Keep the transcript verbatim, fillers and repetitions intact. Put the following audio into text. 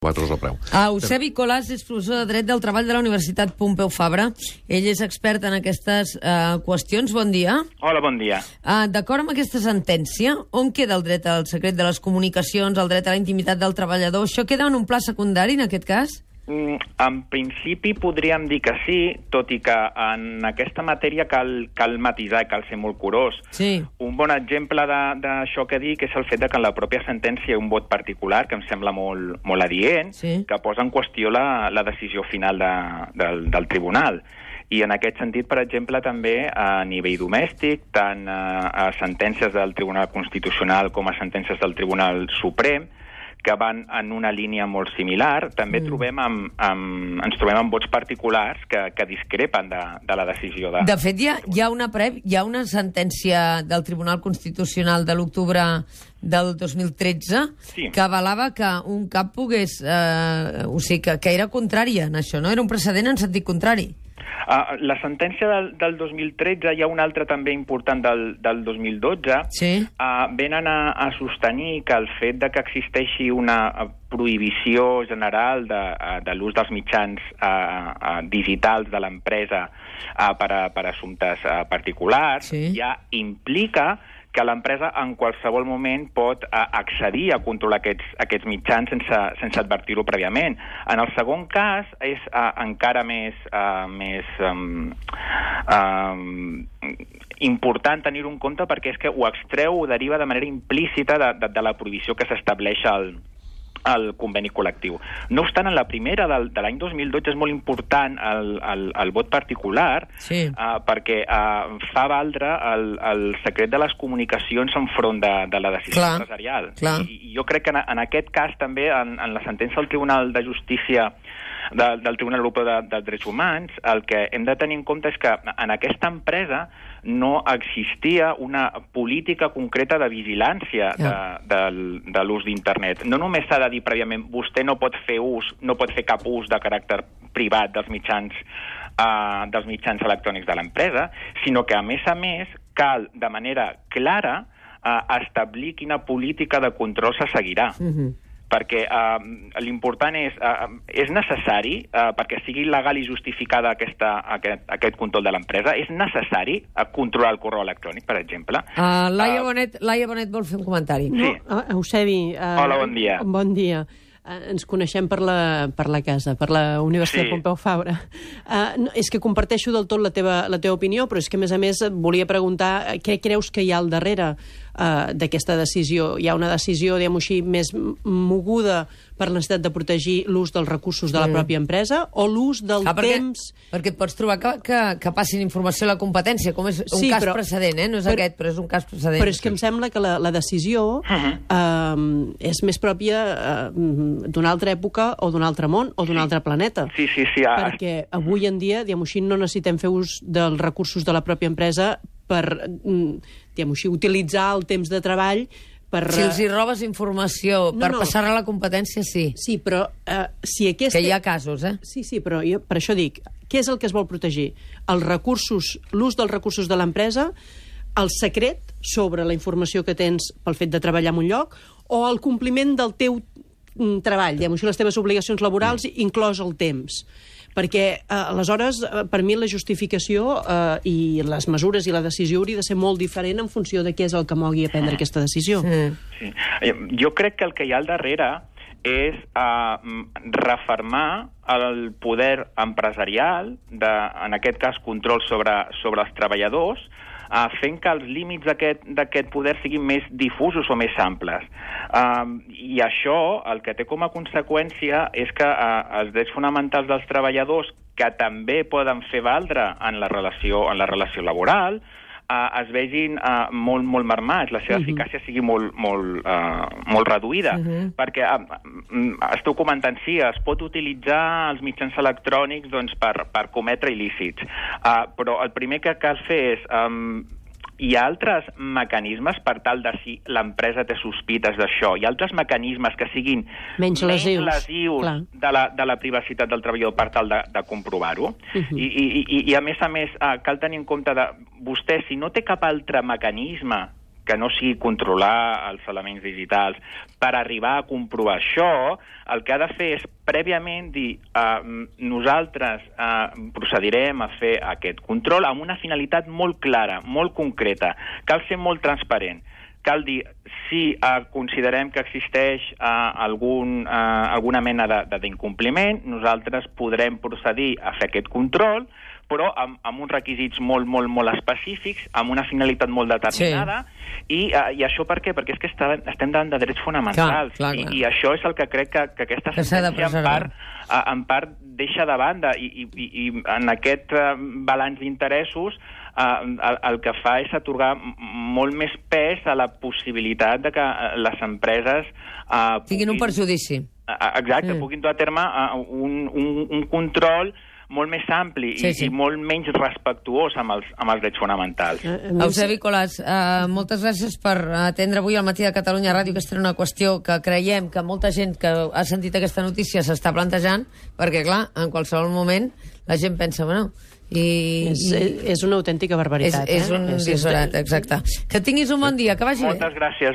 quatre euros el preu. Ah, Eusebi Colàs és professor de Dret del Treball de la Universitat Pompeu Fabra. Ell és expert en aquestes uh, qüestions. Bon dia. Hola, bon dia. Uh, D'acord amb aquesta sentència, on queda el dret al secret de les comunicacions, el dret a la intimitat del treballador? Això queda en un pla secundari, en aquest cas? Mm, en principi podríem dir que sí, tot i que en aquesta matèria cal, cal matisar i cal ser molt curós. Sí. Un bon exemple d'això que dic és el fet de que en la pròpia sentència hi ha un vot particular, que em sembla molt, molt adient, Sí. que posa en qüestió la, la decisió final de, del, del tribunal. I en aquest sentit, per exemple, també a nivell domèstic, tant a, a sentències del Tribunal Constitucional com a sentències del Tribunal Suprem, que van en una línia molt similar, també mm. trobem amb, amb, ens trobem amb vots particulars que, que discrepen de, de la decisió de... De fet, hi ha, hi ha, una pre... hi ha una sentència del Tribunal Constitucional de l'octubre del dos mil tretze Sí. que avalava que un cap pogués... Eh, o sigui, que, que era contrària en això, no? Era un precedent en sentit contrari. Uh, la sentència del, del dos mil tretze, hi ha una altra també important del, del dos mil dotze, Sí. uh, venen a, a sostenir que el fet de que existeixi una prohibició general de, de l'ús dels mitjans uh, uh, digitals de l'empresa uh, per, a, per a assumptes uh, particulars, Sí. ja implica que l'empresa en qualsevol moment pot uh, accedir a controlar aquests, aquests mitjans sense, sense advertir-ho prèviament. En el segon cas és uh, encara més, uh, més um, um, important tenir-ho en compte perquè és que ho extreu, ho deriva de manera implícita de, de, de la prohibició que s'estableix al el conveni col·lectiu. No obstant, en la primera del, de l'any dos mil dotze és molt important el, el, el vot particular Sí. uh, perquè uh, fa valdre el, el secret de les comunicacions enfront de, de la decisió Clar, empresarial. clar. I, I jo crec que en, en aquest cas també, en, en la sentència del Tribunal de Justícia de, del Tribunal Europeu de, dels Drets Humans, el que hem de tenir en compte és que en aquesta empresa no existia una política concreta de vigilància de, de, de l'ús d'internet. No només s'ha de dir prèviament vostè no pot fer ús, no pot fer cap ús de caràcter privat dels mitjans, uh, dels mitjans electrònics de l'empresa, sinó que, a més a més, cal de manera clara uh, establir quina política de control se seguirà. Mhm. Perquè uh, l'important és, uh, és necessari, uh, perquè sigui legal i justificada aquesta, aquest, aquest control de l'empresa, és necessari uh, controlar el correu electrònic, per exemple. Uh, Laia, Uh, Bonet, Laia Bonet vol fer un comentari. Sí. No, Eusebi... Uh, Hola, bon dia. Bon dia. Uh, ens coneixem per la, per la casa, per la Universitat Sí. Pompeu Fabra. Uh, no, és que comparteixo del tot la teva, la teva opinió, però és que, a més a més, et volia preguntar uh, què creus que hi ha al darrere uh, d'aquesta decisió. Hi ha una decisió, diguem-ho així, més moguda per la necessitat de protegir l'ús dels recursos de la Mm. pròpia empresa o l'ús del Ah, perquè, temps... perquè et pots trobar que, que, que passin informació a la competència, com és un Sí, cas però- precedent, eh? No és però- aquest, però és un cas precedent. Però és que em sembla que la, la decisió Uh-huh. uh, és més pròpia uh, d'una altra època o d'un altre món o d'un Sí. altre planeta. Sí, sí, sí. ah, Perquè avui en dia, diguem-ho així, no necessitem fer ús dels recursos de la pròpia empresa per, mm, diguem-ho així, utilitzar el temps de treball per... Si els hi robes informació No, per no. passar a la competència, sí. Sí, però uh, si aquesta... Que hi ha casos, eh? Sí, sí, però jo per això dic, què és el que es vol protegir? Els recursos, l'ús dels recursos de l'empresa, el secret sobre la informació que tens pel fet de treballar en un lloc, o el compliment del teu mm, treball, diguem-ho així, les teves obligacions laborals, inclòs el temps. Perquè, eh, aleshores, eh, per mi la justificació eh, i les mesures i la decisió hauria de ser molt diferent en funció de què és el que mogui a prendre aquesta decisió. Mm. Sí. Eh, Jo crec que el que hi ha al darrere és uh, refermar el poder empresarial, de, en aquest cas control sobre, sobre els treballadors, uh, fent que els límits d'aquest poder siguin més difusos o més amples. Uh, I això el que té com a conseqüència és que uh, els drets fonamentals dels treballadors, que també poden fer valdre en la relació, en la relació laboral, Uh, es vegin uh, molt, molt marmats, la seva uh-huh. eficàcia sigui molt, molt, uh, molt reduïda. Uh-huh. Perquè uh, esteu comentant, sí, es pot utilitzar els mitjans electrònics doncs, per, per cometre il·lícits, uh, però el primer que cal fer és... Um, hi ha altres mecanismes per tal de si l'empresa té sospites d'això. Hi ha altres mecanismes que siguin menys lesius, menys lesius de, la, de la privacitat del treballador per tal de, de comprovar-ho. Uh-huh. I, i, i, I, a més a més, uh, cal tenir en compte de vostè, si no té cap altre mecanisme que no sigui controlar els elements digitals. Per arribar a comprovar això, el que ha de fer és prèviament dir uh, nosaltres uh, procedirem a fer aquest control amb una finalitat molt clara, molt concreta. Cal ser molt transparent. Cal dir, si uh, considerem que existeix uh, algun, uh, alguna mena d'incompliment, nosaltres podrem procedir a fer aquest control, però amb, amb uns requisits molt, molt, molt específics, amb una finalitat molt determinada, sí. i, uh, i això per què? Perquè és que està, estem davant de drets fonamentals, clar, clar, clar. I, i això és el que crec que, que aquesta sentència en part, uh, en part deixa de banda, i, i, i, i en aquest uh, balanç d'interessos uh, el, el que fa és atorgar molt més pes a la possibilitat de que uh, les empreses uh, tinguin un perjudici. Uh, exacte, mm. puguin dur a terme uh, un, un, un control molt més ampli sí, sí. i, i molt menys respectuós amb els, amb els drets fonamentals. Uh, Eusebi Colàs, uh, moltes gràcies per atendre avui al Matí de Catalunya Ràdio. Aquesta era una qüestió que creiem que molta gent que ha sentit aquesta notícia s'està plantejant, perquè, clar, en qualsevol moment la gent pensa, bueno... I, és, i... és una autèntica barbaritat. És, és un eh? disbarat, exacte. Que tinguis un bon dia, que vagi Moltes bé. gràcies.